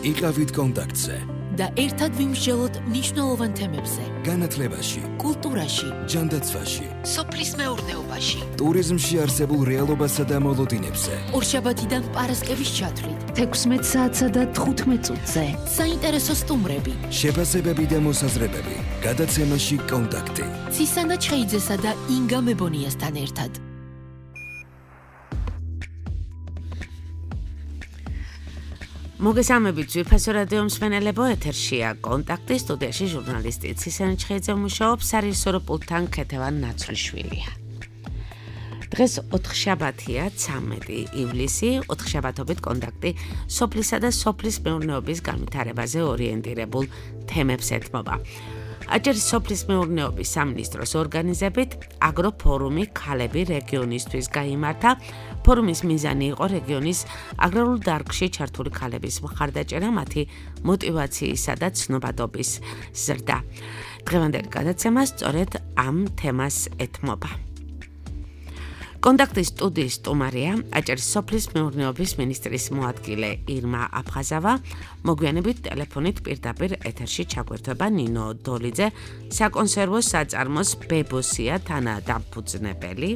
იყავით კონტაქტზე და ერთად ვიმსჯელოთ მნიშვნელოვან თემებზე. განათლებაში, კულტურაში, ჯანდაცვაში, სოფლის მეურნეობაში, ტურიზმში არსებულ რეალობასა და მოლოდინებზე. ორშაბათიდან პარასკევის ჩათვლით, 16 საათსა და 15 წუთზე. საინტერესო სტუმრები, შეფასებები და მოსაზრებები. გადაცემაში კონტაქტი. ცისანა ჩხეიძესა და ინგა მებონიასთან ერთად. მოგესალმებით ძვირფასო რადიო მსმენელებო, ეთერშია კონტაქტი, სტუდიაში ჟურნალისტი ცისანა ჩხეიძე მუშაობს, სარისორო პულტთან ქეთევან ნაცვლიშვილია. დღეს ოთხშაბათია, 13 ივლისი, ოთხშაბათობით კონტაქტი სოფლისა და სოფლის მეურნეობის განვითარებაზე ორიენტირებულ თემებს ეთმობა. აჭარის სოფლის მეურნეობის სამინისტროს ორგანიზებით აგროფორუმი ქალები რეგიონისთვის გაიმართა. ფორუმის მიზანი იყო რეგიონის აგრარულ დარგში ჩართული ქალების მხარდაჭერა, მათი мотиваციისა და ცნობადობის ზრდა. დღევანდელი გადაცემა სწორედ ამ თემას ეთმობა. კონტაქტის სტუდიის სტუმარია აჭარის სოფლის მეურნეობის მინისტრის მოადგილე ირმა აფხაზავა. მოგვიანებით ტელეფონით პირდაპირ ეთერში ჩაგვერთვება ნინო დოლიძე, საკონსერვო საწარმოს ბებოსია თანადამფუძნებელი.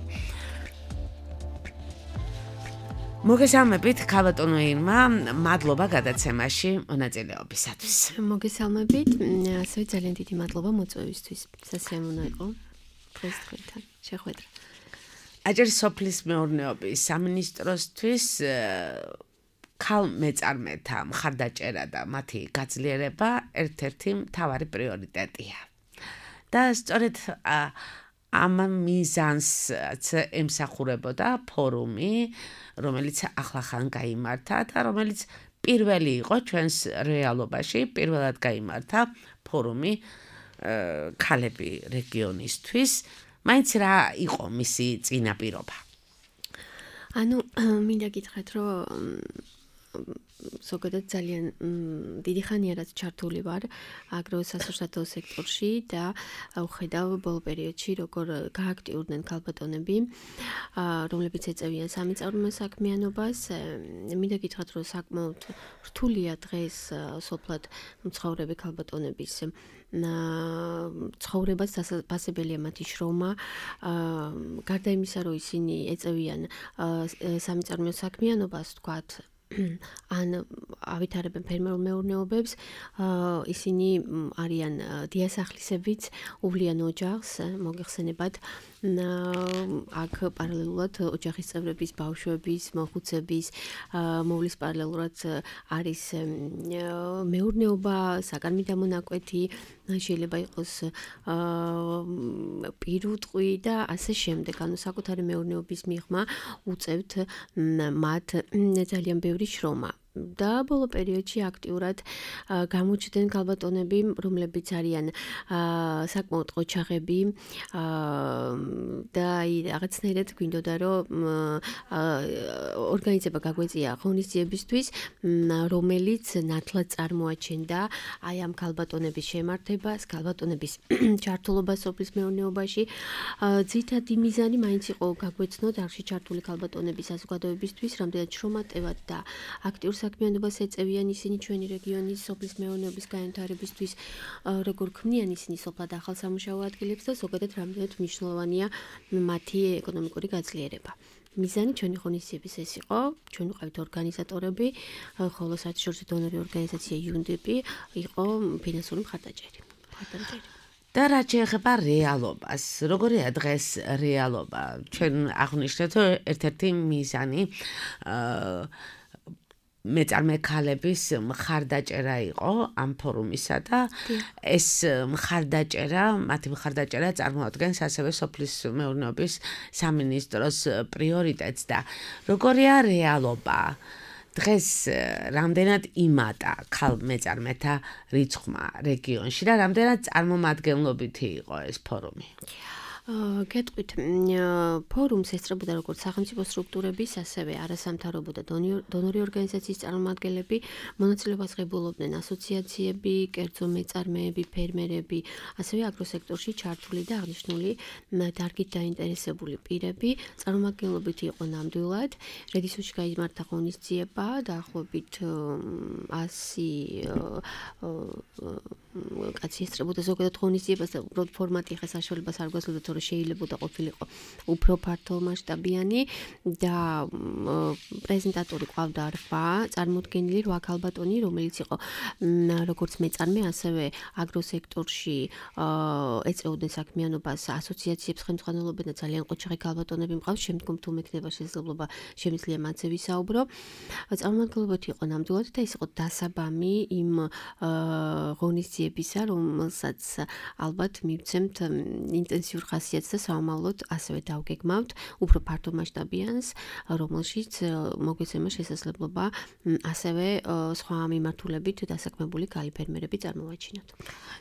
მოგესალმებით, ქალბატონო ირმა, მადლობა გადაცემაში მონაწილეობისათვის. მოგესალმებით, ასევე ძალიან დიდი მადლობა მოწვევისთვის. სასიამოვნო იყო დღეს თქვენთან შეხვედრა. აჭარის სოფლის მეურნეობის სამინისტროსთვის ქალ მეწარმეთა მხარდაჭერა და მათი გაძლიერება ერთ-ერთი მთავარი პრიორიტეტია. და სწორედ ამ მიზანს ემსახურებოდა ფორუმი, რომელიც ახლახან გაიმართა და რომელიც პირველი იყო ჩვენს რეალობაში, პირველად გაიმართა ფორუმი ქალები რეგიონისთვის. მაინც რა იყო მისი წინაპირობა? მინდა გითხრათ, რომ ზოგადად ძალიან დიდი ხანია რაც ჩართული ვარ აგროსასურსათო სექტორში და ვხედავ ბოლო პერიოდში როგორ გააქტიურდნენ ქალბატონები, რომლებიც ეწევიან სამიწარმოო საქმიანობას. მინდა გითხრათ, რომ საკმაოდ რთულია დღეს სოფლად მცხოვრები ქალბატონების ცხოვრებას დასაფასებელია მათი შრომა. გარდა იმისა, რომ ისინი ეწევიან სამიწარმოო საქმიანობას, ვთქვათ, ან ავითარებენ ფერმერულ მეურნეობებს, ისინი არიან დიასახლისებიც, უვლიან ოჯახს, მოგეხსენებათ, აქ პარალელურად ოჯახის წევრების, ბავშვების, მოხუცების მოვლის პარალელურად არის მეურნეობა, საგანმი დამონაკვეთი, შეიძლება იყოს პირუტყვი და ასე შემდეგ. ანუ საკუთარი მეურნეობის მიღმა უწევთ მათ ძალიან ბევრი შრომა. და ბოლო პერიოდში აქტიურად გამოჩნდნენ ქალბატონები, რომლებიც არიან საკმაოდ ყოჩაღები და რაღაცნაირად გვინდოდა, რომ ორგანიზება გაგვეწია ღონისძიებისთვის, რომელიც ნათლად წარმოაჩენდა აი ამ ქალბატონების შემართებას, ქალბატონების ჩართულობას სოფლის მეურნეობაში. ძირითადი მიზანი მაინც იყო გაგვეცნოთ არხში ჩართული ქალბატონების საზოგადოებისთვის, რამდენად შრომატევად და აქტიურ საქმიანობას ეწევიან ისინი ჩვენი რეგიონის სოფლის მეურნეობის განვითარებისთვის, როგორ ქმნიან ისინი სოფლად ახალ სამუშაო ადგილებს და ზოგადად რამდენად მნიშვნელოვანია მათი ეკონომიკური გაძლიერება. მიზანი ჩვენი ღონისძიების ეს იყო, ჩვენ ვიყავით ორგანიზატორები, ხოლო საერთაშორისო დონორი ორგანიზაცია UNDP იყო ფინანსური მხარდაჭერი. და რაც შეეხება რეალობას, როგორია დღეს რეალობა? ჩვენ აღვნიშნეთ, რომ ერთ-ერთი მიზანი მეწარმე ქალების მხარდაჭერა იყო ამ ფორუმისა და ეს მხარდაჭერა, მათი მხარდაჭერა წარმოადგენს ასევე სოფლის მეურნეობის სამინისტროს პრიორიტეტს და როგორია რეალობა? დღეს რამდენად იმატა ქალ მეწარმეთა რიცხვმა რეგიონში და რამდენად წარმომადგენლობითი იყო ეს ფორუმი? გეტყვით, ფორუმს ესწრებოდა როგორც სახელმწიფო სტრუქტურების, ასევე არასამთავრობო და დონორი ორგანიზაციის წარმომადგენლები, მონაწილეობას ღებულობდნენ ასოციაციები, კერძო მეწარმეები, ფერმერები, ასევე აგროსექტორში ჩართული და აღნიშნული დარგით დაინტერესებული პირები. წარმომადგენლობით იყო ნამდვილად. რედისოში გაიმართა ღონისძიება, დაახლოებით 100 კაცი ესწრებოდა ზოგადად ღონისძიებას და უბრალოდ ფორმატი ხა საშუალებას არ გვაძლევდა, თორე შეიძლება ყოფილიყო უფრო ფართომასშტაბიანი და პრეზენტატორი ყავდა რვა წარმოდგენილი 8 ქალბატონი, რომელიც იყო როგორც მეწარმე, ასევე აგროსექტორში ეწეოდნენ საქმიანობას, ასოციაციებს ხელმძღვანელობენ და ძალიან ყოჩაღი ქალბატონები მყავს, შემდგომ თუ მექნება შესაძლებლობა შემიძლია მათზე ვისაუბრო. წარმომადგენლობითი იყო ნამდვილად და ის იყო დასაბამი იმ ღონისძიებისა, რომელსაც ალბათ მივცემთ ინტენსიურ ხასიათს და საომავლოდ ასევე დავგეგმავთ უფრო ფართომასშტაბიანს, რომელშიც მოგვეცემა შესაძლებლობა ასევე სხვა მიმართულებით დასაქმებული ქალი ფერმერები წარმოვაჩინოთ.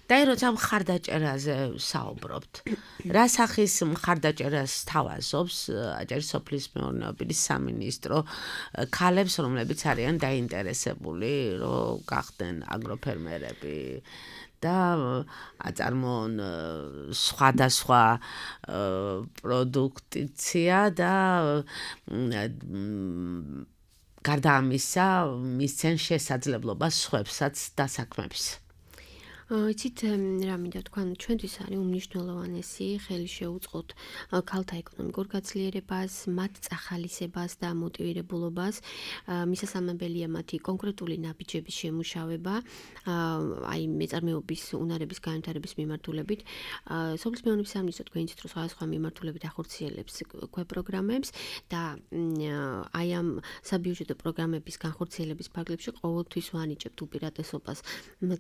და როცა მხარდაჭერაზე საუბრობთ, რა სახის მხარდაჭერას თავაზობს აჭარის სოფლის მეურნეობის სამინისტრო ქალებს, რომლებიც არიან დაინტერესებული, რომ გახდნენ აგროფერმერები და აწარმოონ სხვადასხვა პროდუქცია და გარდა ამისა მისცენ შესაძლებლობა სხვებსაც დასაქმების. იცით რა მინდა თქვა, ჩვენთვის არის უმნიშვნელოვანესი ხელი შეუწყოთ ქალთა ეკონომიკურ გაძლიერებას, მათ წახალისებას და მოტივირებულობას. მისასალმებელია მათი კონკრეტული ნაბიჯების შემუშავება, აი მეწარმეობის უნარების განვითარების მიმართულებით. სოფლის მეურნეობის სამინისტრო თქვენ იცით, რომ სხვადასხვა მიმართულებით ახორციელებს პროგრამებს და აი ამ საბიუჯეტო პროგრამების განხორციელების ფარგლებში ყოველთვის ვანიჭებთ უპირატესობას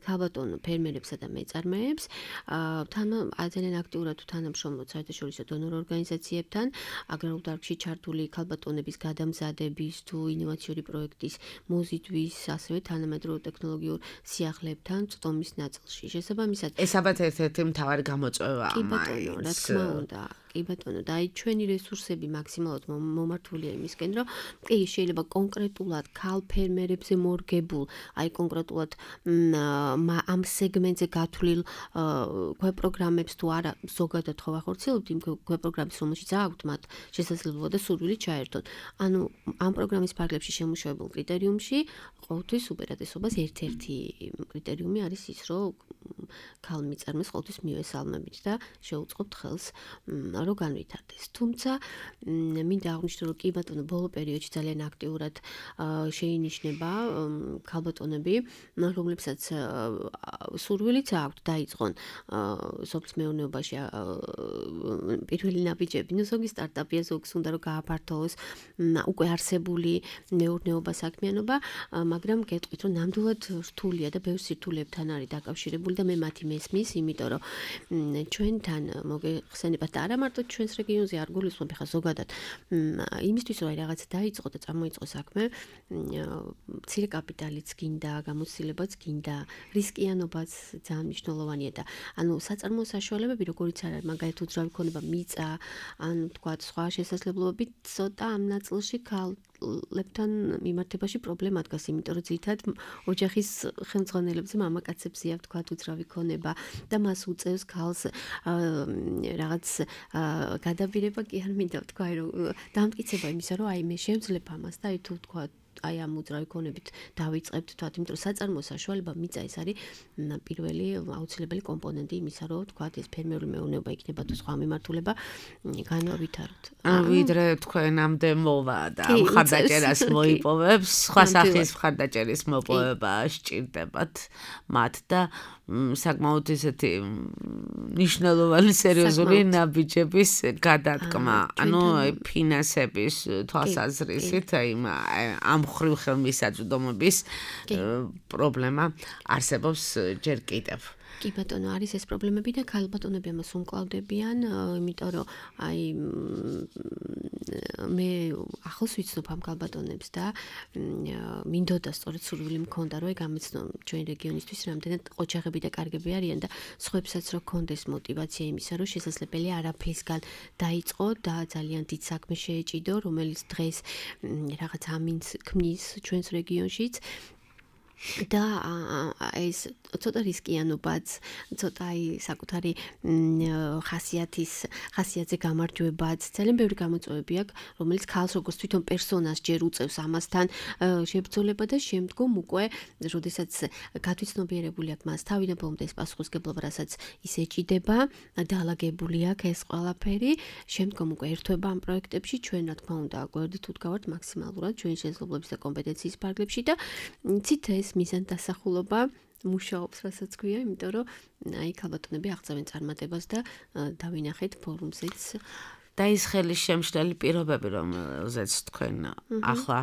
ქალბატონ ფერმერებს და მეწარმეებს, ძალიან აქტიურად თანამშრომლობთ საერთაშორისო დონორ ორგანიზაციებთან, აგრარულ დარგში ჩართული ქალბატონების გადამზადების თუ ინოვაციური პროექტის მოზიდვის, ასევე თანამედროვე ტექნოლოგიურ სიახლეებთან წვდომის ნაწილში. შესაბამისად, ეს ალბათ ერთ-ერთი მთავარი გამოწვევაა. კი ბატონო, რა თქმა უნდა. კი ბატონო, და აი ჩვენი რესურსები მაქსიმალურად მომართულია იმისკენ, რომ კი შეიძლება კონკრეტულად ქალ ფერმერებზე მორგებულ, აი კონკრეტულად ამ სეგმენტზე გათვლილ პროგრამებს თუ არა ზოგადად ხო ახორციელებთ იმ პროგრამებს, რომელშიც აქვთ მათ შესაძლებლობა და სურვილი ჩაერთონ. ანუ ამ პროგრამის ფარგლებში შემუშავებულ კრიტერიუმში ყოველთვის უპირატესობას ერთ-ერთი კრიტერიუმი არის ის, რომ ქალ მიწარმეს ყოველთვის მივესალმებით და შეუწყობთ ხელს რომ განვითარდეს. თუმცა მინდა აღვნიშნო, რომ კი ბატონო, ბოლო პერიოდში ძალიან აქტიურად შეინიშნება ქალბატონები, რომლებსაც სურვილიც აქვთ დაიწყონ სოფლის მეურნეობაში პირველი ნაბიჯები. ნუ ზოგი სტარტაპია, ზოგს უნდა რომ გააფართოვოს უკვე არსებული მეურნეობა საქმიანობა, მაგრამ გეტყვით, რომ ნამდვილად რთულია და ბევრ სირთულეებთან არის დაკავშირებული და მე მათი მესმის, იმიტომ რომ ჩვენთან მოგეხსენებათ და არა მარტო ჩვენს რეგიონზე არ გულისხმობ, ხა ზოგადად იმისთვის რომ რაღაცა დაიწყო და წარმოიწყო საქმე, მცირე კაპიტალიც გინდა, გამოცდილებაც გინდა, რისკიანობაც ძალიან მნიშვნელოვანია და ანუ საწარმოო საშუალებები როგორიც არის, მაგალითად უძრავი ქონება მიწა, ანუ თქვა სხვა შესაძლებლობები ცოტა ამ ნაწილში ქალებთან მიმართებაში პრობლემა დგას, იმიტომ რომ ძირითადად ოჯახის ხელმძღვანელებზე მამაკაცებს იავთ თქვა უძრავი ქონება და მას უწევს ქალს რაღაც გადაბირება კი არ მინდა თქვა, რომ დამტკიცება იმისა, რომ აი მე შევძლებ ამას და აი თუ თქვა აი ამ უძრავი ქონებით დავიწყებთ თქვა, იმიტომ რომ საწარმოო საშუალება მიწა ეს არის პირველი აუცილებელი კომპონენტი იმისა, რომ თქვა ეს ფერმერული მეურნეობა იქნება თუ სხვა მიმართულება განავითაროთ. ვიდრე თქვენამდე მოვა და მხარდაჭერას მოიპოვებს, სხვა სახის მხარდაჭერის მოპოვება სჭირდებათ მათ და საკმაოდ ისეთი მნიშვნელოვანი სერიოზული ნაბიჯების გადადგმა, ანუ ფინანსების თვალსაზრისით ამ მხრივ ხელმისაწვდომობის პრობლემა არსებობს ჯერ კიდევ. კი ბატონო, არის ეს პრობლემები და ქალბატონები ამას უმკლავდებიან, იმიტომ რომ აი მე ახლოს ვიცნობ ამ ქალბატონებს და მინდოდა სწორედ სურვილი მქონდა რომ გამეცნო ჩვენ რეგიონისთვის რამდენად ოჯახები და კარგები არიან და სხვებსაც რო ქონდეს мотиваცია იმისა რომ შესაძლებელია არაფრისგან დაიწყო და ძალიან დიდ საქმე შეეჭიდო რომელიც დღეს რაღაც ამინს ქმნის ჩვენს რეგიონშიც და ეს ცოტა რისკიანობაც, ცოტა აი საკუთარი ხასიათზე გამარჯვებაც, ძალიან ბევრი გამოწვევები აქვს, რომელიც ქალს როგორც თვითონ პერსონას ჯერ უწევს ამასთან შებრძოლება და შემდგომ უკვე, როდესაც გათვითცნობიერებული აქვს მას თავიდან ბოლომდე ეს პასუხისგებლობა, რასაც ის ეჭიდება, დაალაგებული აქვს ეს ყველაფერი, შემდგომ უკვე ერთვება ამ პროექტებში, ჩვენ რა თქმა უნდა, გვერდით უდგავართ მაქსიმალურად ჩვენი შესაძლებლობის და კომპეტენციის ფარგლებში და ცით ეს მიზანდასახულობა მუშაობს, რასაც ქვია, იმიტომ რომ აი ქალბატონები აღწევენ წარმატებას და დავინახეთ ფორუმზეც და ის ხელის შემშლელი პირობები, რომელზეც თქვენ ახლა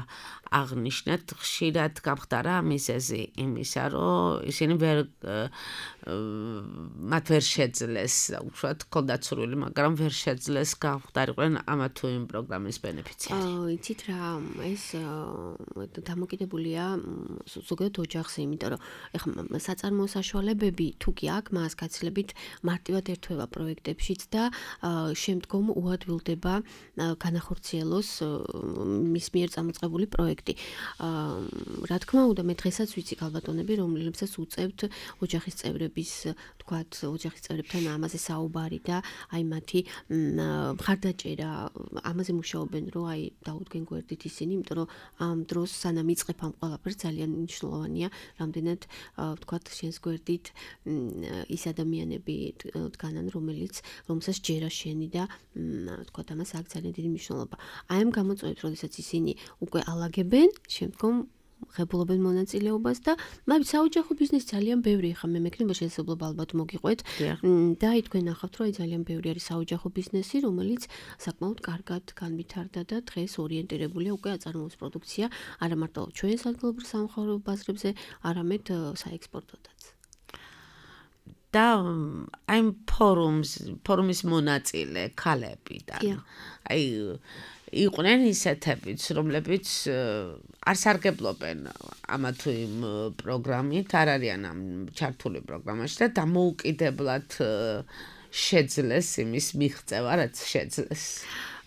აღნიშნეთ, ხშირად გამხდარა მიზეზი იმისა, რომ ისინი მათ ვერ შეძლეს, უშუალოდ ჰქონდათ სურვილი, მაგრამ ვერ შეძლეს გამხდარიყვნენ ამა თუ იმ პროგრამის ბენეფიციარი. იცით რა, ეს დამოკიდებულია ზოგადად ოჯახზე, იმიტომ რომ ეხლა საწარმოო საშუალებები თუ კი აქვს, მას გაცილებით მარტივად ერთვება პროექტებშიც და შემდგომ უადვილდება განახორციელოს მის მიერ წამოწყებული პროექტი. რა თქმა უნდა, მე დღესაც ვიცი ქალბატონები, რომლებსაც უწევთ ოჯახის წევრების, თქვათ, ოჯახის წევრებთან ამაზე საუბარი და აი მათი მხარდაჭერა, ამაზე მუშაობენ, რომ აი დაუდგენ გვერდით ისინი, იმიტომ რომ ამ დროს სანამ იწყებ ამ ყველაფერს ძალიან მნიშვნელოვანია, რამდენად თქვათ, შენს გვერდით ის ადამიანები დგანან, რომელსაც ჯერა შენი და თქვათ, ამას აქვს ძალიან დიდი მნიშვნელობა. აი ამ გამოწვევებს, როდესაც ისინი უკვე ალაგებენ, შემდგომ ღებულობენ მონაწილეობას და მაგ საოჯახო ბიზნესი ძალიან ბევრი ხა მე მექნება შესაძლებლობა ალბათ მოგიყვეთ და აი თქვენ ნახავთ რომ აი ძალიან ბევრი არის საოჯახო ბიზნესი რომელიც საკმაოდ კარგად განვითარდა და დღეს ორიენტირებულია უკვე აწარმოოს პროდუქცია არა მარტო ჩვენ ადგილობრივ სამხაროო ბაზრებზე არამედ საექსპორტოდაც და აი ფორუმის მონაწილე ქალები და აი იყვნენ ისეთებიც, რომლებიც არ სარგებლობენ ამა თუ იმ პროგრამით, არ არიან ამ ჩართული პროგრამაში და დამოუკიდებლად შეძლეს იმის მიღწევა, რაც შეძლეს.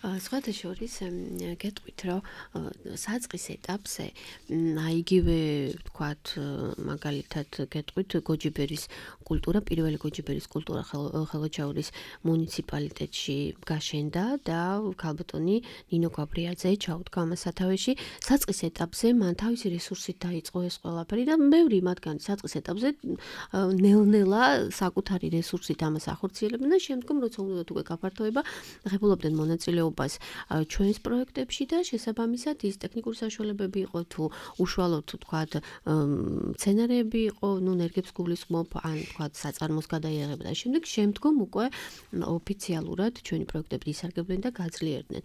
სხვათა შორის გეტყვით, რომ საწყის ეტაპზე აი იგივე ვთქვათ, მაგალითად გეტყვით გოჯიბერის კულტურა, პირველი გოჯიბერის კულტურა ხელოჩაურის მუნიციპალიტეტში გაშენდა და ქალბატონი ნინო გაბრიაძე ჩაუდგა ამას სათავეში. საწყის ეტაპზე მან თავისი რესურსით დაიწყო ეს ყველაფერი და ბევრი მათგანი საწყის ეტაპზე ნელ-ნელა საკუთარი რესურსით ამას ახორციელებდნენ და შემდგომ როცა უნდა უკვე გაფართოება, ღებულობდნენ მონაწილეობას ჩვენს პროექტებში და შესაბამისად ის ტექნიკური საშუალებები იყო თუ უშუალოდ თქვათ სცენარები იყო, ნუ ნერგებს გულისხმობ ან თქვათ საწარმოს გადაიაღება და შემდგომ უკვე ოფიციალურად ჩვენი პროექტები ისარგებლნენ და გაძლიერდნენ.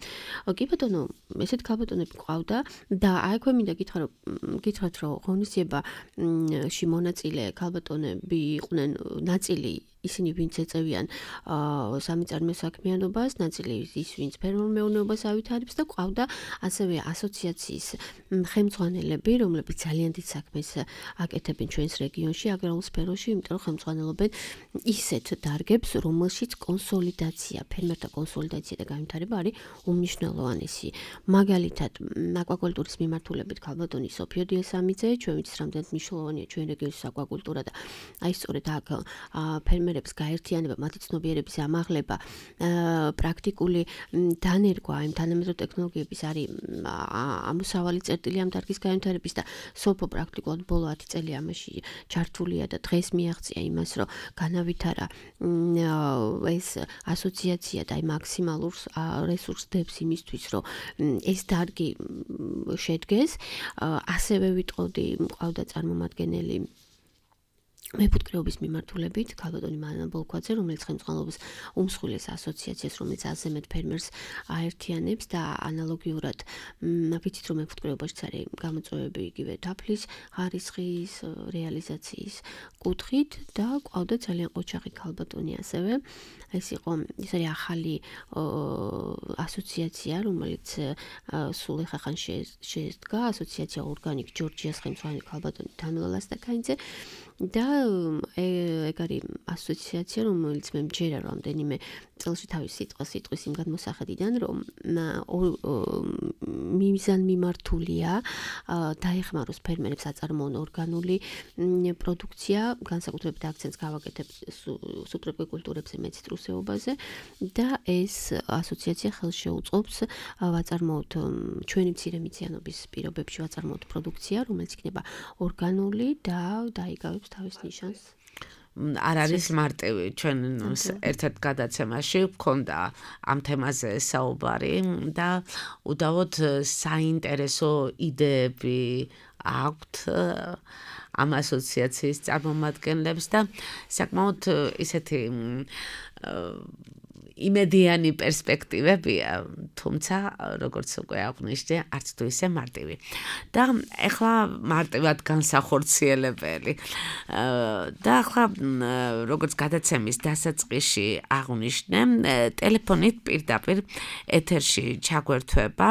კი ბატონო, ესეთ ქალბატონები ყავდა და აი ქვე მინდა გითხრათ რომ ღონისძიებაში მონაწილე ქალბატონები იყვნენ ნაწილი ისინი ვინც ეწევიან სამიწარმოო საქმიანობას, ნაწილი ის ვინც ფერმერულ მეურნეობას ავითარებს და ყავდა ასევე ასოციაციის ხელმძღვანელები, რომლებიც ძალიან დიდ საქმეს აკეთებენ ჩვენს რეგიონში, აგრარულ სფეროში, იმიტომ რომ ხელმძღვანელობენ ისეთ დარგებს, რომელშიც კონსოლიდაცია, ფერმერთა კონსოლიდაცია და განვითარება არის უმნიშვნელოვანესი. მაგალითად, აკვაკულტურის მიმართულებით ქალბატონი სოფიო დიესამიძე, ჩვენ ვიცით რამდენად მნიშვნელოვანია ჩვენ რეგიონის აკვაკულტურა და აი სწორედ აქ ფერმერებს გაერთიანება, მათი ცნობიერების ამაღლება, პრაქტიკული დანერგვა იმ თანამედროვე ტექნოლოგიების არის ამოსავალი წერტილი ამ დარგის განვითარების და სოფო პრაქტიკულად ბოლო 10 წელი ამაში ჩართულია და დღეს მიაღწია იმას, რომ განავითარა ეს ასოციაცია და აი მაქსიმალურ რესურსს დებს იმისთვის, რომ ეს დარგი შედგეს. ასევე ვიტყოდი, მყავდა წარმომადგენელი მეფუტკრეობის მიმართულებით ქალბატონი მალანა ბოლქვაძე, რომელიც ხელმძღვანელობს უმსხვილეს ასოციაციას, რომელიც აზემეთ ფერმერს აერთიანებს და ანალოგიურად ვიცით, რომ მეფუტკრეობაშიც არის გამოწვევები იგივე დაფლის ხარისხის რეალიზაციის კუთხით და ყავდა ძალიან ყოჩაღი ქალბატონი ასევე. ეს არის ახალი ასოციაცია, რომელიც სულ ახან შედგა, ასოციაცია ორგანიკ ჯორჯიას ხელმძღვანელი ქალბატონი თამილა ლასტაკაიძე და ეგ არის ასოციაცია, რომელიც მე მჯერა რამდენიმე წელში თავის სიტყვის იმ გადმოსახედიდან, რომ მიზანმიმართულია დაეხმაროს ფერმერებს აწარმოონ ორგანული პროდუქცია, განსაკუთრებით აქცენტს გავაკეთებ სუბტროპიკულ კულტურებზე, მეციტრუსეობაზე და ეს ასოციაცია ხელს შეუწყობს ვაწარმოოთ ჩვენი მცირე მიწიანობის პირობებში ვაწარმოოთ პროდუქცია, რომელიც იქნება ორგანული და დაიგავებს თავის ნიშანს. არ არის მარტივი ჩვენ ერთ-ერთ გადაცემაში გქონდა ამ თემაზე საუბარი და უდავოდ საინტერესო იდეები აქვთ ამ ასოციაციის წარმომადგენლებს და საკმაოდ ისეთი იმედიანი პერსპექტივებია, თუმცა როგორც უკვე აღვნიშნე, არც თუ ისე მარტივი. და ახლა მარტივად განსახორციელებელი. და ახლა როგორც გადაცემის დასაწყისში აღვნიშნე, ტელეფონით პირდაპირ ეთერში ჩაგვერთვება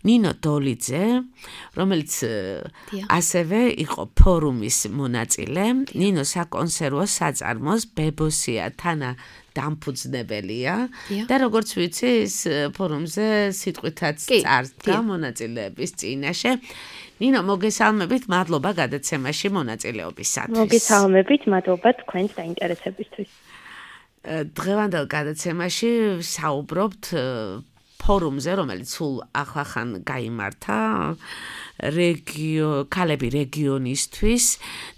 ნინო დოლიძე, რომელიც ასევე იყო ფორუმის მონაწილე. ნინო საკონსერვო საწარმოს ბებოსია თანა დამფუძნებელია და როგორც ვიცი, ის ფორუმზე სიტყვითაც წარსდგა მონაწილეების წინაშე. ნინო, მოგესალმებით, მადლობა გადაცემაში მონაწილეობისათვის. მოგესალმებით, მადლობა თქვენს დაინტერესებისთვის. დღევანდელ გადაცემაში საუბრობთ ფორუმზე, რომელიც სულ ახლახან გაიმართა ქალები რეგიონისთვის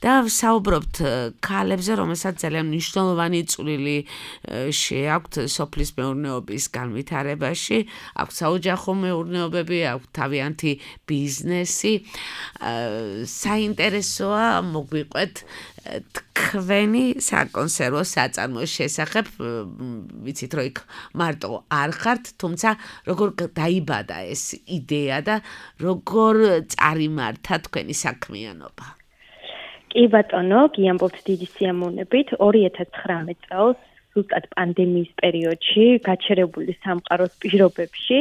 და საუბრობთ ქალებზე, რომელსაც ძალიან მნიშვნელოვანი წვლილი შეაქვთ სოფლის მეურნეობის განვითარებაში, აქვთ საოჯახო მეურნეობები, აქვთ თავიანთი ბიზნესი. საინტერესოა მოგვიყვეთ თქვენი საკონსერვო საწარმოს შესახებ. ვიცით, რომ იქ მარტო არ ხართ, თუმცა როგორ დაიბადა ეს იდეა და როგორ წარიმართა თქვენი საქმიანობა? კი ბატონო, გიამბობთ დიდი სიამოვნებით. 2019 წელს ზუსტად პანდემიის პერიოდში, გაჩერებული სამყაროს პირობებში,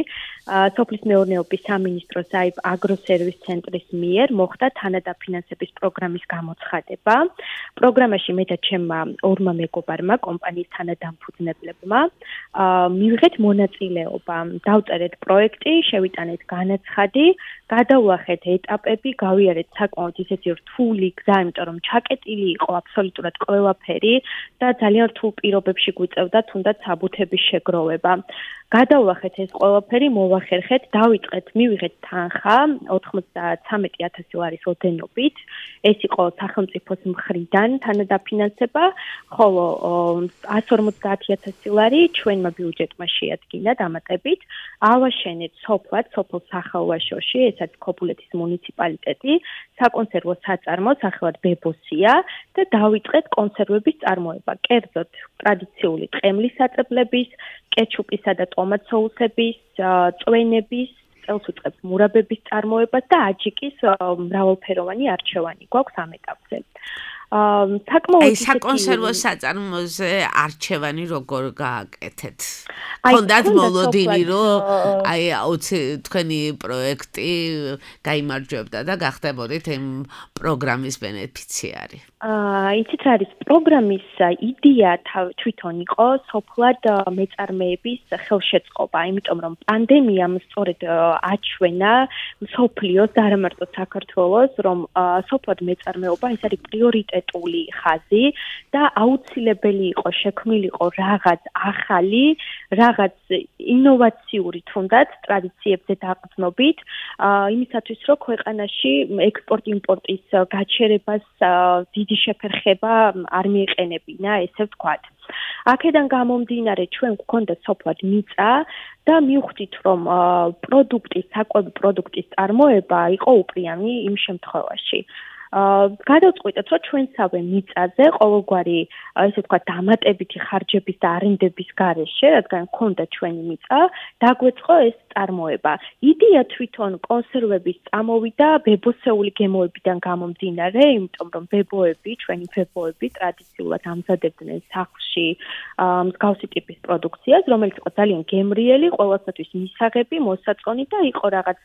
სოფლის მეურნეობის სამინისტროს აგროსერვის ცენტრის მიერ მოხდა თანადაფინანსების პროგრამის გამოცხადება. პროგრამაში მე და ჩემმა ორმა მეგობარმა, კომპანიის თანადამფუძნებლებმა, მივიღეთ მონაწილეობა. დავწერეთ პროექტი, შევიტანეთ განაცხადი, გადავუახეთ ეტაპები, გავიარეთ საკმაოდ ისეთი რთული გზა, იმიტომ რომ ჩაკეტილი იყო აბსოლუტურად ყველაფერი და ძალიან რთულ პირობებში გვიწევდა თუნდაც საბუთების შეგროვება. გადავუახეთ ეს ყველაფერი, მოვახერხეთ, მივიღეთ თანხა 93,000 ლარის ოდენობით. ეს იყო სახელმწიფოს მხრიდან თანადაფინანსება, ხოლო 150,000 ლარი ჩვენმა ბიუჯეტმა შეადგინა დამატებით. ავაშენეთ სოფლად, სოფელ სახალვაშოში, ესაც ქობულეთის მუნიციპალიტეტი, საკონსერვო საწარმო, სახელად ბებოსია და დავიწყეთ კონსერვების წარმოება. კერძოდ ტრადიციული ტყემლის საწებლების, კეჩუპისა და ტომატ სოუსების, წვენების, წელს ვიწყებთ მურაბების წარმოებას და აჯიკის მრავალფეროვანი არჩევანი გვაქვს ამ ეტაპზე. საკონსერვო საწარმოზე არჩევანი როგორ გააკეთეთ? ხონდათ მოლოდინი, რომ თქვენი პროექტი გაიმარჯვებდა და გახდებოდით იმ პროგრამის ბენეფიციარი? იცით რა არის, პროგრამის იდეა თვითონ იყო სოფლად მეწარმეების ხელშეწყობა, იმიტომ რომ პანდემიამ სწორედ აჩვენა მსოფლიოს და არა მარტო საქართველოს, რომ სოფლად მეწარმეობა ეს არის პრიორიტეტული ხაზი და აუცილებელი იყო შექმნილიყო რაღაც ახალი, რაღაც ინოვაციური თუნდაც ტრადიციებზე დაყრდნობით, იმისათვის რომ ქვეყანაში ექსპორტ-იმპორტის გაჩერებას დიდი შეფერხება არ მიეყენებინა, ესე ვთქვათ. აქედან გამომდინარე, ჩვენ გვქონდა სოფლად მიწა და მივხვდით, რომ საკვები პროდუქტის წარმოება იყო უპრიანი იმ შემთხვევაში. გადავწყვიტეთ, რომ ჩვენსავე მიწაზე ყოველგვარი, ესე ვთქვათ, დამატებითი ხარჯების და არენდების გარეშე, რადგან გქონდა ჩვენი მიწა, დაგვეწყო ეს წარმოება. იდეა თვითონ კონსერვების წამოვიდა ბებოსეული გემოებიდან გამომდინარე, იმიტომ რომ ჩვენი ბებოები ტრადიციულად ამზადებდნენ სახლში მსგავსი ტიპის პროდუქციას, რომელიც იყო ძალიან გემრიელი, ყველასათვის მისაღები, მოსაწონი და იყო რაღაც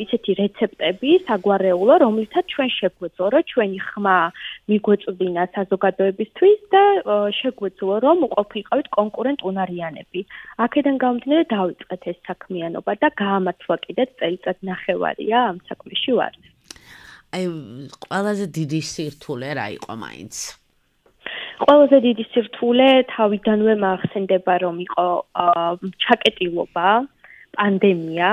ისეთი რეცეპტები, საგვარეულო, რომლითაც ჩვენ შეგვეძლო, რომ ჩვენი ხმა მიგვეწვდინა საზოგადოებისთვის და შეგვეძლო, რომ ყოფილიყავით კონკურენტ უნარიანები. აქედან გამომდინარე დავიწყეთ ეს საქმიანობა და გაამართლა კიდეც წელიწად ნახევარია ამ საქმეში ვარ. აი, ყველაზე დიდი სირთულე რა იყო მაინც? ყველაზე დიდი სირთულე თავიდანვე მახსენდება, რომ იყო ჩაკეტილობა, პანდემია,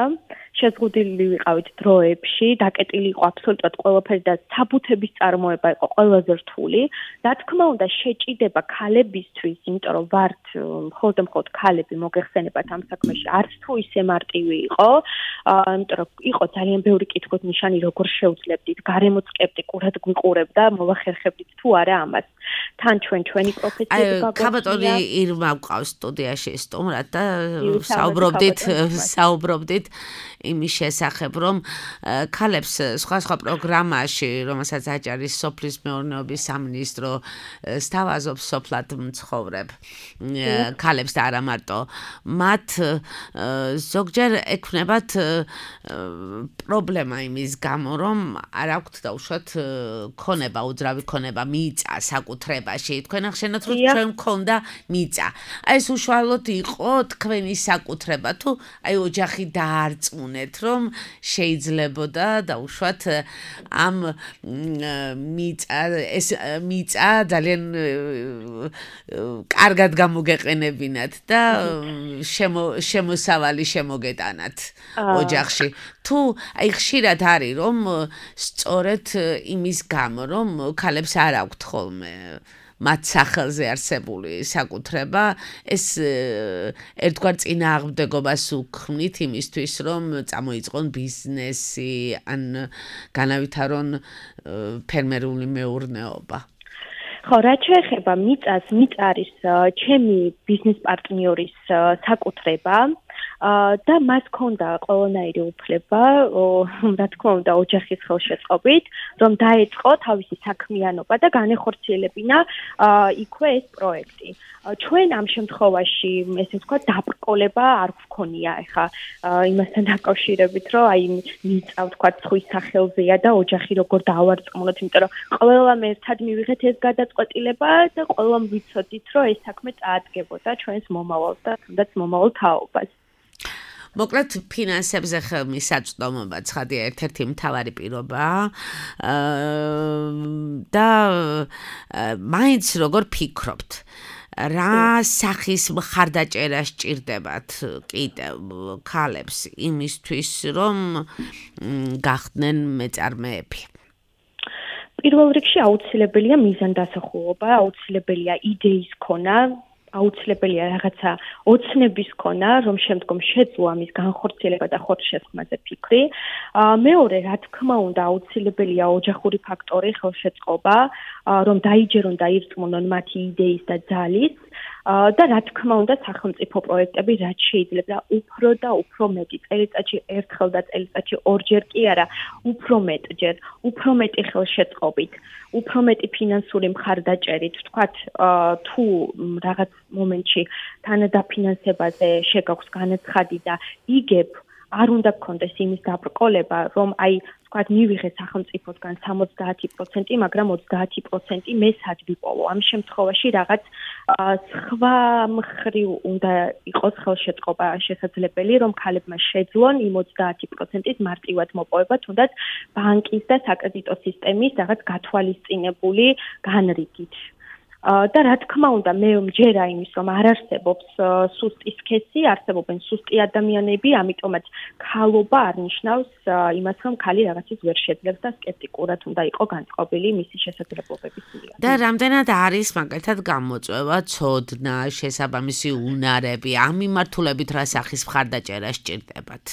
შეზღუდული ვიყავით დროებში, დაკეტილი იყო აბსოლუტურად ყველაფერი და საბუთების წარმოება იყო ყველაზე რთული. რა თქმა უნდა, შეჭიდება ქალებისთვის, იმიტომ რომ ვართ მხოლოდ ქალები მოგეხსენებათ ამ საქმეში, არც თუ ისე მარტივი იყო, იმიტომ რომ იყო ძალიან ბევრი კითხვით ნიშანი, როგორ შევძლებდით, გარემო სკეპტიკურად გვიყურებდა, მოვახერხებდით თუ არა ამას. თან ჩვენი პროფესიები გაგვაქვს. ქაბატონი ირმა გვყავს სტუდიაში სტუმრად და საუბრობდით იმის შესახებ, რომ ქალებს სხვა პროგრამაში, რომელსაც აჭარის სოფლის მეურნეობის სამინისტრო სთავაზობს სოფლად მცხოვრებ ქალებს და არა მარტო მათ ზოგჯერ ექნებათ პრობლემა იმის გამო, რომ არ აქვთ დაუშვათ ქონება, უძრავი ქონება მიწა საკუთრებაში. თქვენ ახსენეთ, რომ ჩვენ მქონდა მიწა. აი ეს უშუალოდ იყო თქვენი საკუთრება თუ აი ოჯახი დაარწმუნეთ, რომ შეიძლებოდა დაუშვათ ამ მიწა ძალიან კარგად გამოგეყენებინათ და შემოსავალი შემოგეტანათ ოჯახში. თუ აი ხშირად არის რომ სწორედ იმის გამო რომ ქალებს არ აქვთ ხოლმე მათ სახელზე არსებული საკუთრება, ეს ერთგვარ წინააღმდეგობას უქმნით იმისთვის, რომ წამოიწყონ ბიზნესი, ან განავითარონ ფერმერული მეურნეობა. ხო, რაც შეეხება მიწას, მიწა არის ჩემი ბიზნეს პარტნიორის საკუთრება. და მას ქონდა ყველანაირი უფლება, რა თქმა უნდა, ოჯახის ხელშეწყობით, რომ დაეწყო თავისი საქმიანობა და განეხორციელებინა იქვე ეს პროექტი. ჩვენ ამ შემთხვევაში, ესე ვთქვათ, დაბრკოლება არ გვქონია, ეხა იმასთან დაკავშირებით, რომ აი მიწა, ვთქვათ, სხვის სახელზეა და ოჯახი როგორ დავარწმუნოთ, იმიტომ რომ ყველამ ერთად მივიღეთ ეს გადაწყვეტილება და ყველამ ვიცოდით, რომ ეს საქმე წაადგებოდა ჩვენს მომავალს და თუნდაც მომავალ თაობას. მოკლედ ფინანსებზე ხელმისაწვდომობა ცხადია ერთ-ერთი მთავარი პირობაა და მაინც როგორ ფიქრობთ რა სახის მხარდაჭერა სჭირდებათ კიდევ ქალებს იმისთვის რომ გახდნენ მეწარმეები? პირველ რიგში აუცილებელია მიზანდასახულობა, აუცილებელია იდეის ქონა, აუცილებელია რაღაცა ოცნების ქონა, რომ შემდგომ შეძლო ამის განხორციელება და ხორცშესხმაზე ფიქრი. მეორე, რა თქმა უნდა, აუცილებელია ოჯახური ფაქტორი, ხელშეწყობა, რომ დაიჯერონ და ირწმუნონ მათი იდეის და ძალის. და რა თქმა უნდა, სახელმწიფო პროექტები რაც შეიძლება უფრო და უფრო მეტი წელიწადში ერთხელ და წელიწადში ორჯერ კი არა, უფრო მეტჯერ, უფრო მეტი ხელშეწყობით, უფრო მეტი ფინანსური მხარდაჭერით, ვთქვათ, თუ რაღაც მომენტში თანადაფინანსებაზე შეგაქვს განაცხადი და იგებ, არ უნდა გქონდეს იმის დაბრკოლება, რომ აი ვთქვათ, მივიღე სახელმწიფოსგან 70%, მაგრამ 30% მე სად ვიპოვო. ამ შემთხვევაში რაღაც სხვა მხრივ უნდა იყოს ხელშეწყობა შესაძლებელი, რომ ქალებმა შეძლონ იმ 30%-ის მარტივად მოპოვება, თუნდაც ბანკის და საკრედიტო სისტემის რაღაც გათვალისწინებული განრიგით. და რა თქმა უნდა, მე მჯერა იმის, რომ არ არსებობს სუსტი სქესი, არსებობენ სუსტი ადამიანები, ამიტომაც ქალობა არ ნიშნავს იმას, რომ ქალი რაღაცის ვერ შეძლებს და სკეპტიკურად უნდა იყო განწყობილი მისი შესაძლებლობების მიერ. და რამდენად არის მაგალითად გამოწვევა, ცოდნა, შესაბამისი უნარები, ამ მიმართულებით რა სახის მხარდაჭერა სჭირდებათ?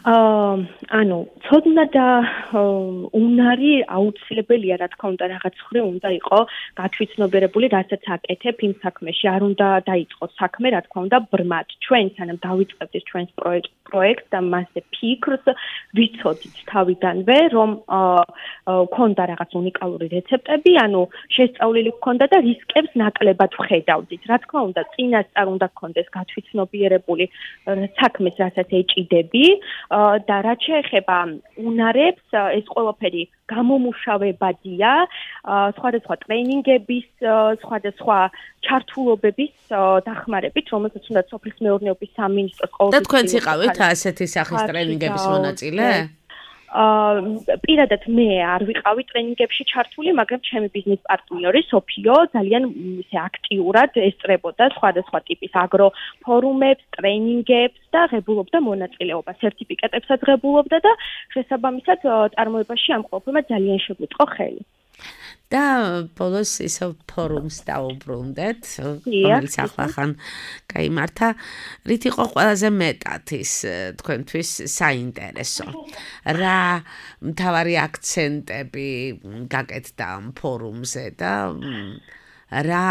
ანუ ცოდნა და უნარი აუცილებელია, რა თქმა უნდა, რაღაც ხრი უნდა იყოს გათვითცნობიერებული, რასაც აკეთებ იმ საქმეში. არ უნდა დაიწყოს საქმე, რა თქმა უნდა, ბრმად. ჩვენ სანამ დავიწყებთ ჩვენს პროექტს და მასზე ფიქრს ვიცოდით თავიდანვე, რომ ქონდა რაღაც უნიკალური რეცეპტები, ანუ შესწავლილი ქონდა და რისკებს ნაკლებად ვხედავდით. რა თქმა უნდა, წინასწარ უნდა გქონდეს გათვითცნობიერებული საქმეს, რასაც ეჭიდები. და რაც შეეხება უნარებს, ეს ყველაფერი გამომუშავებადია, სხვადასხვა ტრეინინგების, სხვადასხვა ჩართულობების დახმარებით, რომელსაც უნდა სოფლის მეურნეობის სამინისტროს ყოველთვის. და თქვენც იყავით ასეთი სახის ტრეინინგების მონაწილე? პირადად მე არ ვიყავი ტრეინინგებში ჩართული, მაგრამ ჩემი ბიზნეს პარტნიორი სოფიო ძალიან ისე აქტიურად ესწრებოდა სხვადასხვა ტიპის აგრო ფორუმებს, ტრეინინგებს და ღებულობდა მონაწილეობას, სერტიფიკატებსაც ღებულობდა და შესაბამისად წარმოებაში ამ ყველაფერმა ძალიან შეგვიწყო ხელი. და ბოლოს ისევ ფორუმს დავუბრუნდეთ, რომელიც ახლა გაიმართა. რით იყო ყველაზე მეტად ის თქვენთვის საინტერესო? რა მთავარი აქცენტები გაკეთდა ამ ფორუმზე და რა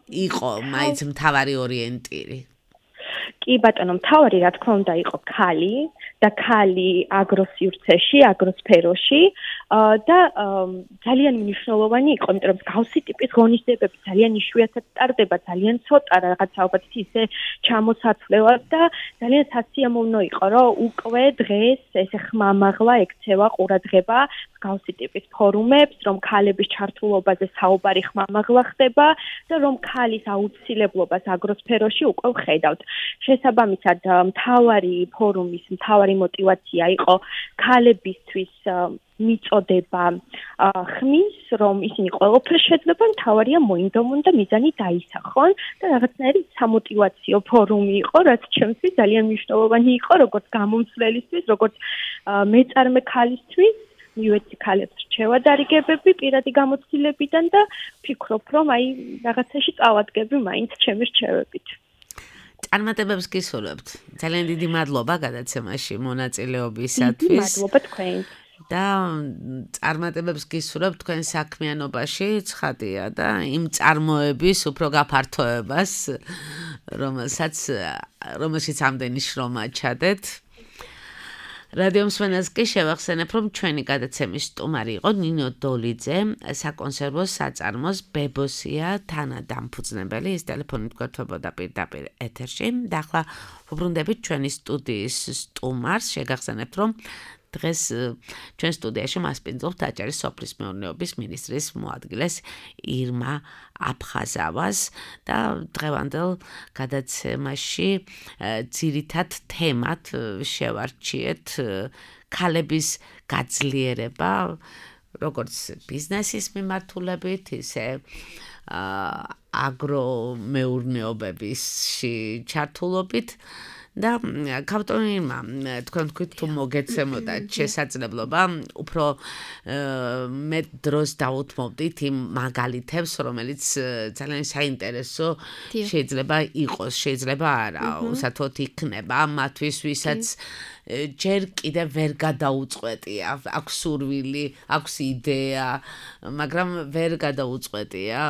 იყო მაინც მთავარი ორიენტირი? კი ბატონო, მთავარი რა თქმა უნდა იყო ქალი და ქალი აგროსივრცეში, აგროსფეროში და ძალიან მნიშვნელოვანი იყო, იმიტომ რომ გავსი ტიპის ღონისძიებები ძალიან იშვიათად ტარდება, ძალიან ცოტა რაღაც ალბათ ისე ჩამოსაცვლელად და ძალიან სასიამოვნო იყო, რომ უკვე დღეს ესე ხმამაღლა ექცევა ყურადღება გავსი ტიპის ფორუმებს, რომ ქალების ჩართულობაზე საუბარი ხმამაღლა ხდება და რომ ქალის აუცილებლობას აგროსფეროში უკვე ვხედავთ. შესაბამისად, მთავარი ფორუმის მთავარი мотиваცია იყო ქალებისთვის მიწოდება ხმის, რომ ისინი ყველაფერს შეძლებენ, მთავარია მოინდომონ და მიზანი დაისახონ და რაღაცნაირი სამოტივაციო ფორუმი იყო, რაც ჩემთვის ძალიან მნიშვნელოვანი იყო, როგორც გამომცვლელისთვის, როგორც მეწარმე ქალისთვის. მივეცი ქალებს რჩევა დარიგებები პირადი გამოცდილებიდან და ვფიქრობ, რომ აი რაღაცაში წავადგები მაინც ჩემი რჩევებით. წარმატებებს გისურვებთ. ძალიან დიდი მადლობა გადაცემაში მონაწილეობისათვის. მადლობა თქვენ. და წარმატებებს გისურვებთ თქვენ საქმიანობაში, ცხადია და იმ წარმოების უფრო გაფართოებას, რომელშიც ამდენი შრომა ჩადეთ. რადიო მსმენელს კი შევახსენებ, რომ ჩვენი გადაცემის სტუმარი იყო ნინო დოლიძე, საკონსერვო საწარმოს ბებოსია თანადამფუძნებელი. ის ტელეფონით გვერდებოდა პირდაპირ ეთერში. და ახლა ვუბრუნდებით ჩვენი სტუდიის სტუმარს. შეგახსენებთ, რომ დღეს ჩვენ სტუდიაში მასპინძლობთ აჭარის სოფლის მეურნეობის მინისტრის მოადგილეს ირმა აფხაზავას და დღევანდელ გადაცემაში ძირითად თემად შევარჩიეთ ქალების გაძლიერება, როგორც ბიზნესის მიმართულებით, ისე აგრომეურნეობებისში ჩართულობით. და კაპიტონმა თქვენ თქვით თუ მოგეცემოდა შესაძლებლობა უფრო მეტ დროს დაუთმობდით იმ მაგალითებს, რომელიც ძალიან საინტერესო შეიძლება იყოს, შეიძლება არა, უსათოდ იქნება მათთვის, ვისაც ჯერ კიდე ვერ გადაუწყვეტია, აქვს სურვილი, აქვს იდეა, მაგრამ ვერ გადაუწყვეტია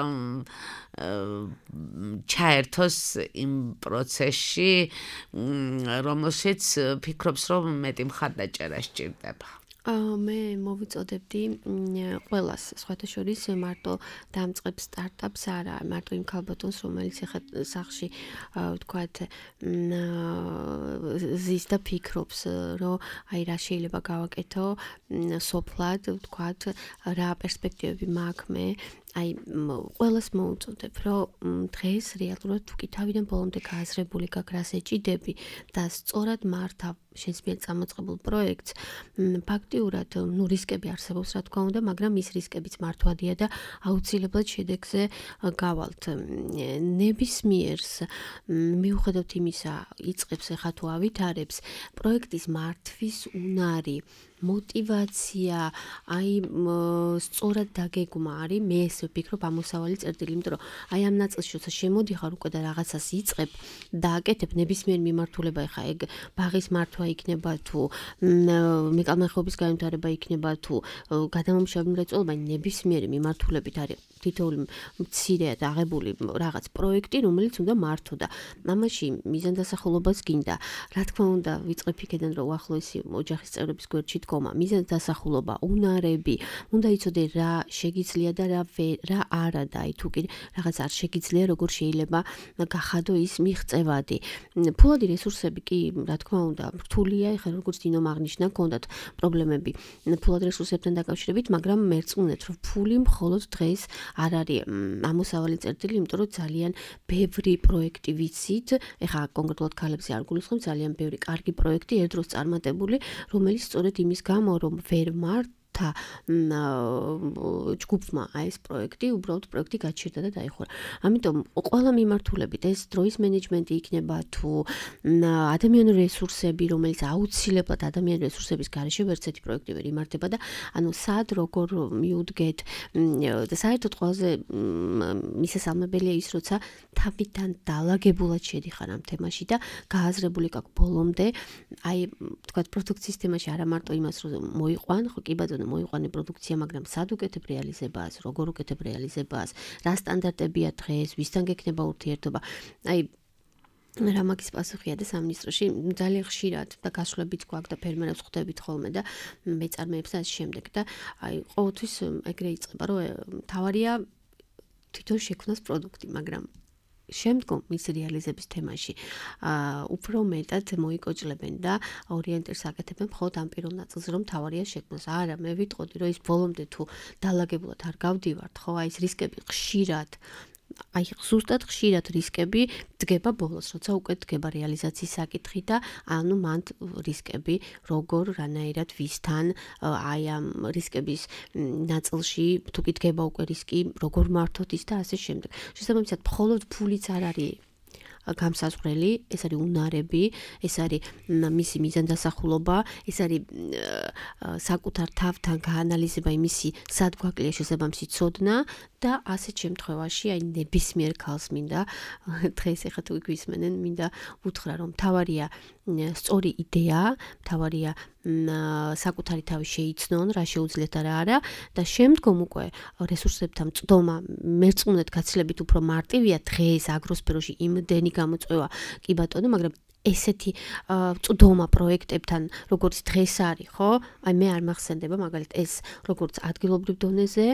ჩაერთოს იმ პროცესში, რომელშიც ფიქრობს, რომ მეტი მხარდაჭერა სჭირდება. მე მოვიწოდებდი ყველას, სხვათა შორის მარტო დამწყებ სტარტაპს არა, მარტო იმ ქალბატონს, რომელიც ახლა სახში ვთქვათ ზის და ფიქრობს, რომ აი რა შეიძლება გავაკეთო სოფლად, ვთქვათ, რა პერსპექტივები მაქვს მე. აი ყველას მოუწოდებ, რომ დღეს რეალურად თუ კი თავიდან ბოლომდე გააზრებული გაქვს რას ეჭიდები და სწორად მართავ შენს მიერ წამოწყებულ პროექტს, ფაქტიურად რისკები არსებობს, რა თქმა უნდა, მაგრამ ის რისკებიც მართვადია და აუცილებლად შედეგზე გავალთ. ნებისმიერს მიუხედავად იმისა, იწყებს ახლა თუ ავითარებს პროექტის მართვის უნარი мотивация, აი სწორად დაგეგმა არის, მე ესე ვფიქრობ ამოსავალი წერტილი, იმიტომ რომ აი ამ ნაწილში როცა შემოდიხარ უკვე და რაღაცას იწყებ და აკეთებ ნებისმიერ მიმართულება, ეხა ეგ ბაღის მართვა იქნება თუ მეკალმეხობის განვითარება იქნება თუ გადამამუშავებელი მრეწველობა, ნებისმიერი მიმართულებით არის თითოეული მცირეად აღებული რაღაც პროექტი, რომელიც უნდა მართო და ამაში მიზანდასახულობას გინდა. Რა თქმა უნდა, ვიწყებ იქიდან რომ უახლოესი ოჯახის წევრების გვერდში დგომა, მიზანდასახულობა, უნარები, უნდა იცოდე რა შეგიძლია და რა არა და აი თუ კი რაღაც არ შეგიძლია, როგორ შეიძლება გახადო ის მიღწევადი. ფულადი რესურსები კი, რა თქმა უნდა, რთულია, ეხლა როგორც დინომ აღნიშნა, გქონდათ პრობლემები ფულად რესურსებთან დაკავშირებით, მაგრამ მერწმუნეთ, რომ ფული მხოლოდ დღეს არ არის ამოსავალი წერტილი, იმიტომ რომ ძალიან ბევრი პროექტი ვიცით, ეხლა კონკრეტულად ქალებზე არ გულისხმობ, ძალიან ბევრი კარგი პროექტი ერთდროს წარმატებული, რომელიც სწორედ იმის გამო, რომ ვერ მართა ჯგუფმა აი ეს პროექტი, უბრალოდ პროექტი გაჩერდა და დაიხურა. ამიტომ ყველა მიმართულებით ეს დროის მენეჯმენტი იქნება თუ ადამიანური რესურსები, რომელიც აუცილებლად ადამიანური რესურსების გარეშე ვერცერთი პროექტი ვერ იმართება და ანუ სად როგორ მიუდგეთ და საერთოდ ყველაზე მისასალმებელია ის, როცა თავიდან დალაგებულად შედიხარ ამ თემაში და გააზრებული გაქვს ბოლომდე, აი თქვათ პროდუქციის თემაში არა მარტო იმას რომ მოიყვან, ხო კი ბატონო მოიყვანე პროდუქცია, მაგრამ სად უკეთებ რეალიზებას, როგორ უკეთებ რეალიზებას, რა სტანდარტებია დღეს, ვისთან გექნება ურთიერთობა. აი რა მაგის პასუხია და სამინისტროში ძალიან ხშირად და გასვლებიც გვაქვს და ფერმერებს ხვდებით ხოლმე და მეწარმეებს და ამ შემდეგ და აი ყოველთვის ეგრე იწყება, რომ თავარია თვითონ შექმნას პროდუქტი, მაგრამ შემდგომ მის რეალიზების თემაში უფრო მეტად მოიკოჭლებენ და ორიენტირს აკეთებენ მხოლოდ ამ პირველ ნაწილზე, რომ თავარია შექმნას. არა, მე ვიტყოდი, რომ ის ბოლომდე თუ დალაგებულად არ გავდივართ, ხო, აი ეს რისკები ხშირად აი ზუსტად ხშირად რისკები დგება ბოლოს, როცა უკვე დგება რეალიზაციის საკითხი და ანუ მან რისკები როგორ რანაირად ვისთან აი ამ რისკების ნაწილში თუ კი დგება უკვე რისკი როგორ მართოთ ის და ასე შემდეგ. შესაბამისად, მხოლოდ ფულიც არ არის გამსაზღვრელი, ეს არის უნარები, ეს არის მისი მიზანდასახულობა, ეს არის საკუთარ თავთან გაანალიზება იმისი, სად გვაკლია შესაბამისი ცოდნა და ასეთ შემთხვევაში აი ნებისმიერ ქალს მინდა დღეს ეხლა თუ გვისმენენ, მინდა უთხრა, რომ თავარია სწორი იდეა, თავარია საკუთარი თავი შეიცნონ, რა შეუძლიათ და რა არა და შემდგომ უკვე რესურსებთან წდომა მერწმუნეთ გაცილებით უფრო მარტივია დღეს აგროსფეროში იმდენი გამოწვევა კი ბატონო, მაგრამ ესეთი წდომა პროექტებთან, როგორც დღეს არის, ხო? აი მე არ მახსენდება მაგალითად ეს როგორც ადგილობრივ დონეზე,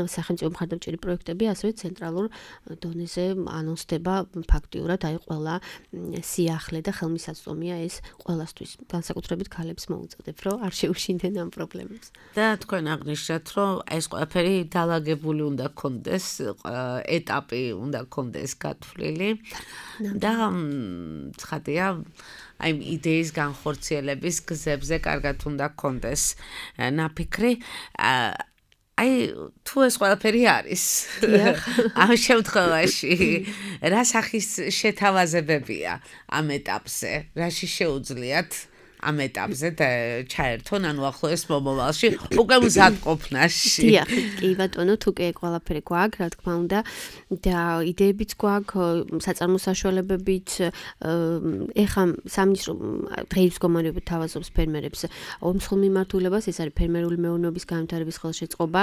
სახელმწიფო მხარდამჭერი პროექტები, ასევე ცენტრალურ დონეზე ანონსდება ფაქტიურად, აი ყველა სიახლე და ხელმისაწვდომია ეს ყველასთვის, განსაკუთრებით ქალებს მოუწოდებ, რომ არ შეუშინდნენ ამ პრობლემებს. და თქვენ აღნიშნეთ, რომ ეს ყველაფერი დალაგებული უნდა გქონდეს, ეტაპი უნდა გქონდეს გათვლილი და ცხადია აი იდეის განხორციელების გზებზე კარგად უნდა გქონდეს ნაფიქრი. აი თუ ეს ყველაფერი არის ამ შემთხვევაში რა სახის შეთავაზებებია ამ ეტაპზე, რაში შეუძლიათ ამ ეტაპზე და ჩაერთონ ანუ ახლოეს მომავალში უკვე მზადყოფნაში. დიახ, კი ბატონო, თუ კი ყველაფერი გვაქვს, რა თქმა უნდა და იდეებიც გვაქვს, საწარმო საშუალებებით, ეხა სამინისტრო დღეის მდგომარეობით თავაზობს ფერმერებს ომსხვილ მიმართულებას, ეს არის ფერმერული მეურნეობის განვითარების ხელშეწყობა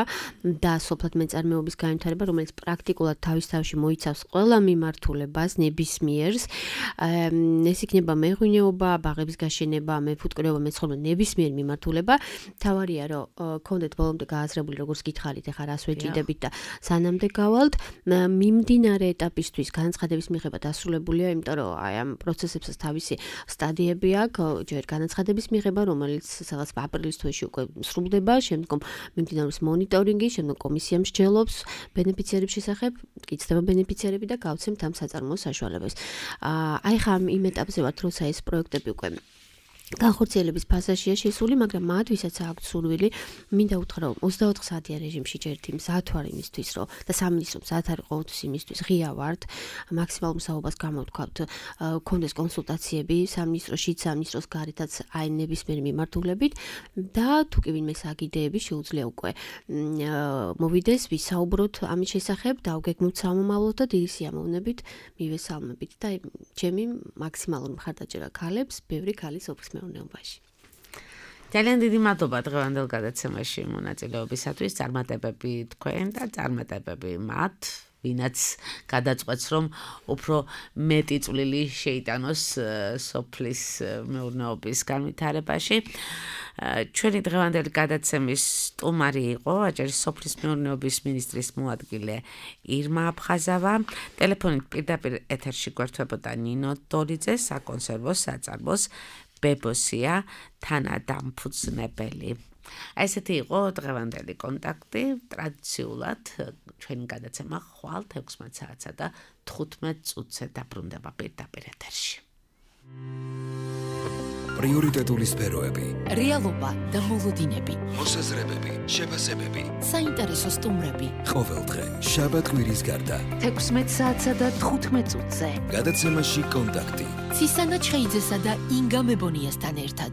და სოფლად მეწარმეობის განვითარება, რომელიც პრაქტიკულად თავის თავში მოიცავს ყველა მიმართულებას ნებისმიერს. ეს იქნება მეღვინეობა, ბაღების გაშენება, მეფუტკრეობა, მეცხოველეობა, ნებისმიერ მიმართულება. თავარია, რომ გქონდეთ ბოლომდე გააზრებული, როგორც გითხარით, ეხლა რას ვეჭიდებით და სანამდე გავალთ, მიმდინარე ეტაპისთვის განაცხადების მიღება დასრულებულია, იმიტომ რომ აი ამ პროცესებსაც თავისი სტადიები აქვს, ჯერ განაცხადების მიღება, რომელიც სადღაც აპრილის თვეში უკვე სრულდება, შემდგომ მიმდინარეობს მონიტორინგი, შემდგომ კომისია მსჯელობს ბენეფიციარების შესახებ, გიცდება ბენეფიციარები და გავცემთ ამ საწარმოო საშუალებას. აი ხა იმ ეტაპზე ვართ, როცა ეს პროექტები უკვე განხორციელების ფაზაშია შესული, მაგრამ მათ ვისაც აქვთ სურვილი, მინდა უთხრა რომ 24 საათიან რეჟიმში ჯერ მზად ვარ იმისთვის, რომ და სამინისტრო მზად არის ყოველთვის იმისთვის, ღია ვართ, მაქსიმალურ მსაუბარს გამოვთქვათ, გქონდეს კონსულტაციები სამინისტროში, სამინისტროს გარეთაც აი ნებისმიერი მიმართულებით და თუ კი ვინმე საგიდეები შეუძლია უკვე მოვიდეს, ვისაუბროთ ამის შესახებ, დავგეგმოთ სამომავლოდ და დიდი სიამოვნებით მივესალმებით და ჩემი მაქსიმალური მხარდაჭერა ქალებს, ბევრი ქალი სოფლის მეურნეობაში. ძალიან დიდი მადლობა დღევანდელ გადაცემაში მონაწილეობისათვის, წარმატებები თქვენ და წარმატებები მათ, ვინაც გადაწყვეტს, რომ უფრო მეტი წვლილი შეიტანოს სოფლის მეურნეობის განვითარებაში. ჩვენი დღევანდელი გადაცემის სტუმარი იყო აჭარის სოფლის მეურნეობის მინისტრის მოადგილე ირმა აფხაზავა. ტელეფონით პირდაპირ ეთერში გვერდებოდა ნინო დოლიძე, საკონსერვო საწარმოს ბებოსია თანადამფუძნებელი. ესეთი იყო დღევანდელი კონტაქტი. ტრადიციულად ჩვენი გადაცემა ხვალ 16 საათსა და 15 წუთზე დაბრუნდება პირდაპირ ეთერში. პრიორიტეტული სფეროები, რეალობა და მოლოდინები, მოსაზრებები, შეფასებები, საინტერესო სტუმრები. ყოველდღე შაბათ-კვირის გარდა 16 საათსა და 15 წუთზე. გადაცემაში კონტაქტი. ცისანა ჩხეიძესა და ინგა მებონიასთან ერთად.